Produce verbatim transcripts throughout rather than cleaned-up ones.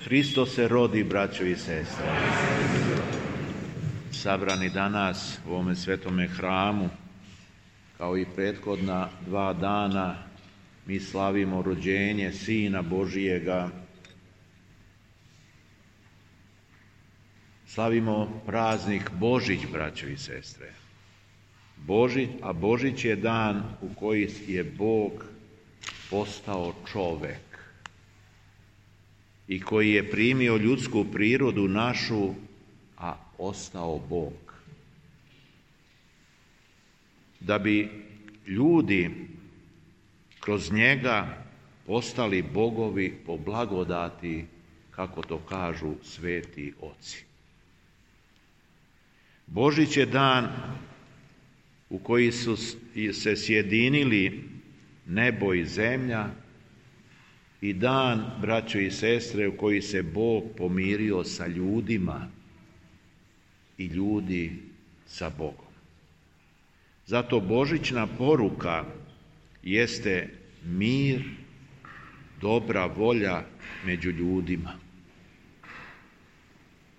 Hristos se rodi, braćo i sestre. Sabrani danas u ovome svetome hramu, kao i prethodna dva dana, mi slavimo rođenje Sina Božijega. Slavimo praznik Božić, braćo i sestre. Božić, a Božić je dan u koji je Bog postao čovek i koji je primio ljudsku prirodu našu, a ostao Bog. Da bi ljudi kroz njega postali bogovi po blagodati, kako to kažu sveti oci. Božić je dan u koji su se sjedinili nebo i zemlja i dan, braćo i sestre, u koji se Bog pomirio sa ljudima i ljudi sa Bogom. Zato božićna poruka jeste mir, dobra volja među ljudima.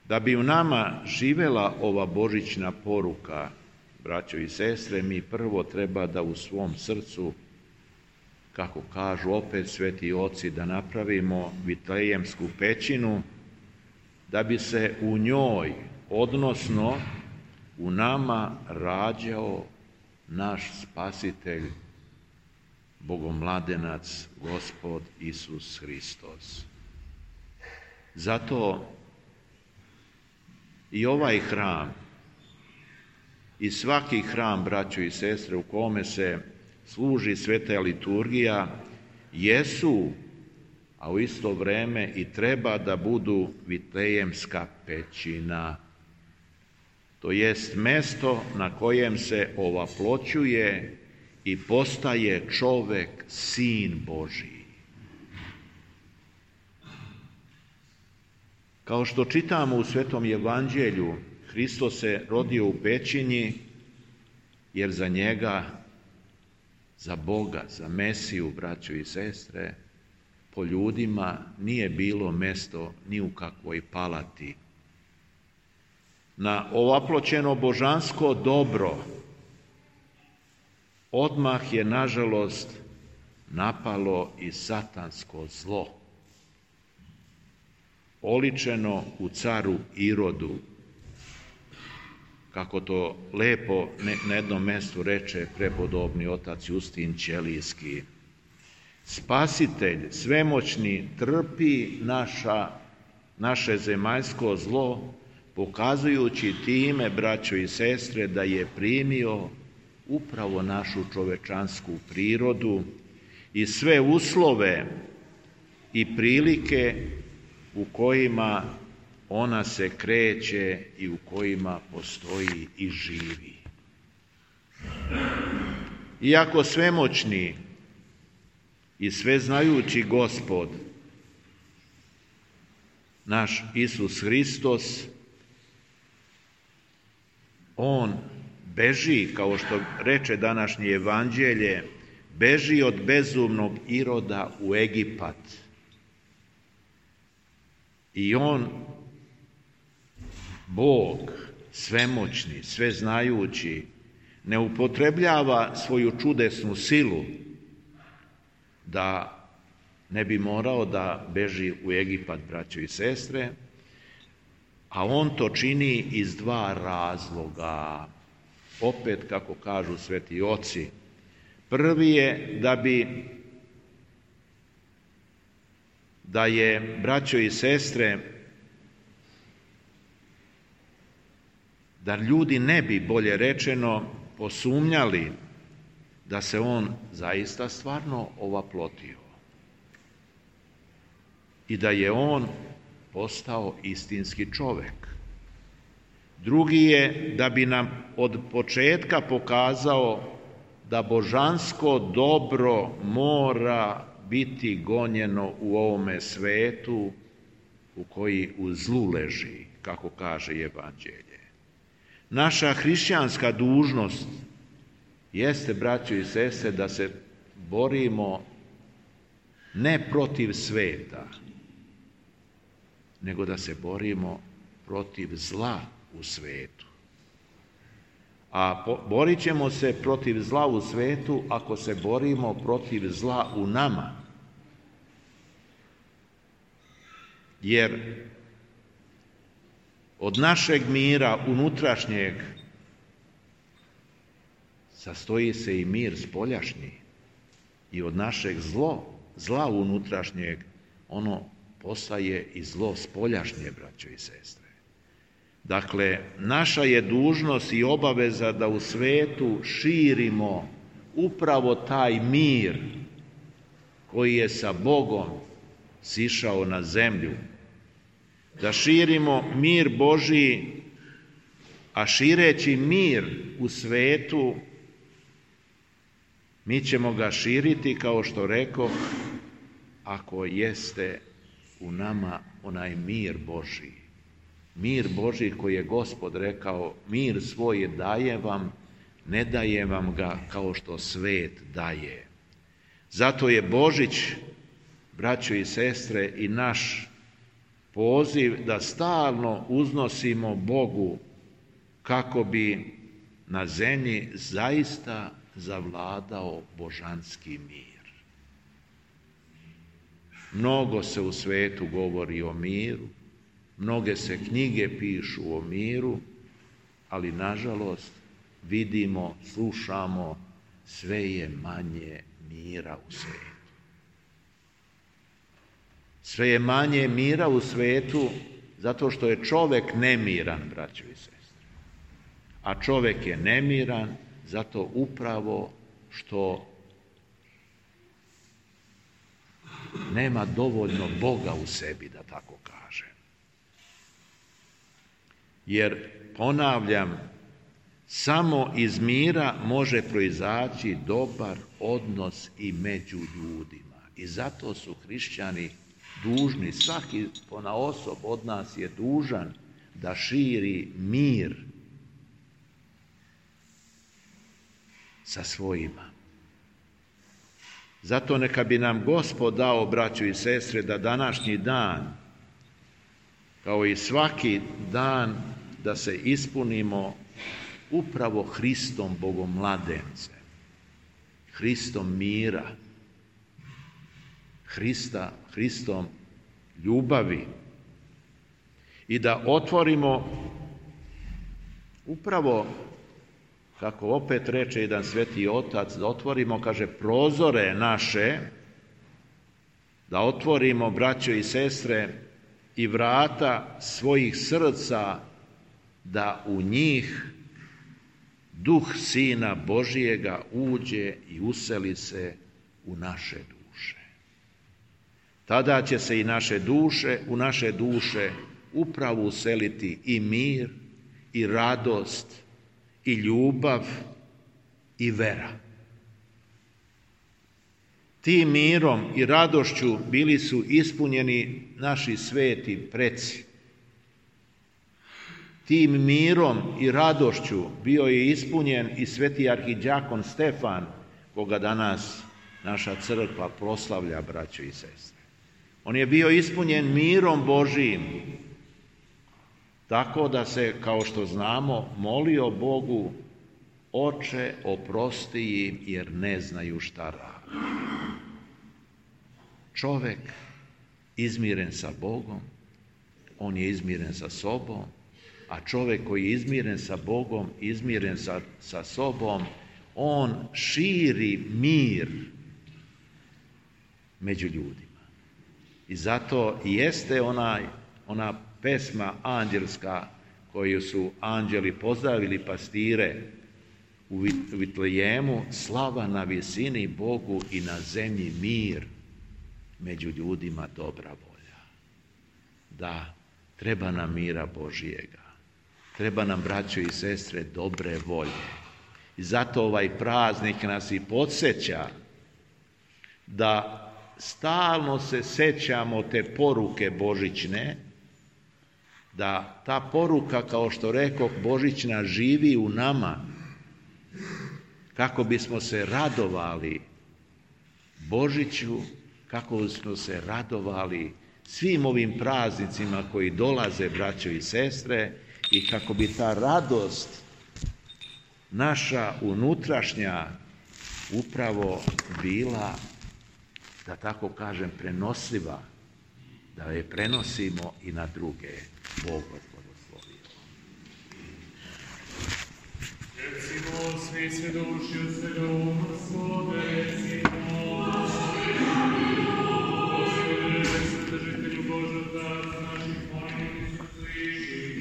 Da bi u nama živela ova božićna poruka, braćo i sestre, mi prvo treba da u svom srcu, kako kažu opet sveti oci, da napravimo vitlejemsku pećinu, da bi se u njoj, odnosno u nama, rađao naš Spasitelj, Bogomladenac, Gospod Isus Hristos. Zato i ovaj hram i svaki hram, braćo i sestre, u kome se služi sveta liturgija, jesu, a u isto vreme i treba da budu vitlejemska pećina. To jest mesto na kojem se ovaploćuje i postaje čovek, Sin Božiji. Kao što čitamo u Svetom Evanđelju, Hristos se rodio u pećini, jer za njega, za Boga, za Mesiju, braćo i sestre, po ljudima nije bilo mesto ni u kakvoj palati. Na ovaploćeno božansko dobro odmah je, nažalost, napalo i satansko zlo, oličeno u caru Irodu, kako to lepo na jednom mjestu reče prepodobni otac Justin Ćelijski. Spasitelj svemoćni trpi naša, naše zemaljsko zlo, pokazujući time, braćo i sestre, da je primio upravo našu čovečansku prirodu i sve uslove i prilike u kojima ona se kreće i u kojima postoji i živi. Iako svemoćni i sveznajući Gospod, naš Isus Hristos, on beži, kao što reče današnje evanđelje, beži od bezumnog Iroda u Egipat. I on, Bog, svemoćni, sveznajući, ne upotrebljava svoju čudesnu silu da ne bi morao da beži u Egipat, braćo i sestre, a on to čini iz dva razloga. Opet, kako kažu sveti oci, prvi je da bi, da je, braćo i sestre, da ljudi ne bi, bolje rečeno, posumnjali da se on zaista stvarno ovaplotio i da je on postao istinski čovek. Drugi je da bi nam od početka pokazao da božansko dobro mora biti gonjeno u ovome svetu u koji u zlu leži, kako kaže evanđelje. Naša hrišćanska dužnost jeste, braćo i sestre, da se borimo ne protiv sveta, nego da se borimo protiv zla u svetu. A po, borit ćemo se protiv zla u svetu ako se borimo protiv zla u nama. Jer od našeg mira unutrašnjeg sastoji se i mir spoljašnji. I od našeg zlo, zla unutrašnjeg, ono postaje i zlo spoljašnje, braćo i sestre. Dakle, naša je dužnost i obaveza da u svetu širimo upravo taj mir koji je sa Bogom sišao na zemlju. Da širimo mir Božji, a šireći mir u svetu, mi ćemo ga širiti, kao što rekoh, ako jeste u nama onaj mir Božji. Mir Božji koji je Gospod rekao, mir svoj daje vam, ne daje vam ga kao što svet daje. Zato je Božić, braćo i sestre, i naš poziv da stalno uznosimo Bogu kako bi na zemlji zaista zavladao božanski mir. Mnogo se u svetu govori o miru, mnoge se knjige pišu o miru, ali nažalost vidimo, slušamo, sve je manje mira u svetu. Sve je manje mira u svetu zato što je čovjek nemiran, braćo i sestre. A čovjek je nemiran zato upravo što nema dovoljno Boga u sebi, da tako kažem. Jer, ponavljam, samo iz mira može proizaći dobar odnos i među ljudima. I zato su hrišćani dužni, svaki ponaosob od nas je dužan da širi mir sa svojima. Zato neka bi nam Gospod dao, braćo i sestre, da današnji dan, kao i svaki dan, da se ispunimo upravo Hristom Bogomladencem, Hristom mira, Hrista, Hristom ljubavi i da otvorimo upravo, kako opet reče jedan sveti otac, da otvorimo, kaže, prozore naše, da otvorimo, braćo i sestre, i vrata svojih srca, da u njih duh Sina Božijega uđe i useli se u naše duše. Tada će se i naše duše, u naše duše upravo useliti i mir, i radost, i ljubav, i vera. Tim mirom i radošću bili su ispunjeni naši sveti preci. Tim mirom i radošću bio je ispunjen i sveti arhidjakon Stefan, koga danas naša crkva proslavlja, braćo i sestre. On je bio ispunjen mirom Božijim, tako da se, kao što znamo, molio Bogu: Oče, oprosti im, jer ne znaju šta rade. Čovek izmiren sa Bogom, on je izmiren sa sobom, a čovek koji je izmiren sa Bogom, izmiren sa, sa sobom, on širi mir među ljudima. I zato jeste onaj, ona pesma anđelska koju su anđeli pozdravili pastire u Vitlejemu: slava na visini Bogu i na zemlji mir, među ljudima dobra volja. Da, treba nam mira Božijega, treba nam, braćo i sestre, dobre volje. I zato ovaj praznik nas i podsjeća da stalno se sećamo te poruke božićne, da ta poruka, kao što rekoh, božićna živi u nama, kako bismo se radovali Božiću, kako bismo se radovali svim ovim praznicima koji dolaze, braćo i sestre, i kako bi ta radost naša unutrašnja upravo bila, da tako kažem, prenosiva, da je prenosimo i na druge. Bog vas blagoslovi. Recimo, svi svedoči od svega uma svoga, recimo, Gospodine, Svetržitelju Boža, Otca naših molitev, sliši,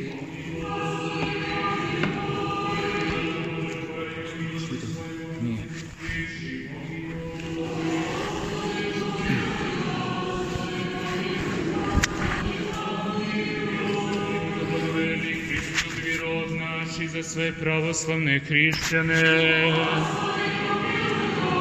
za sve pravoslavne hrišćane.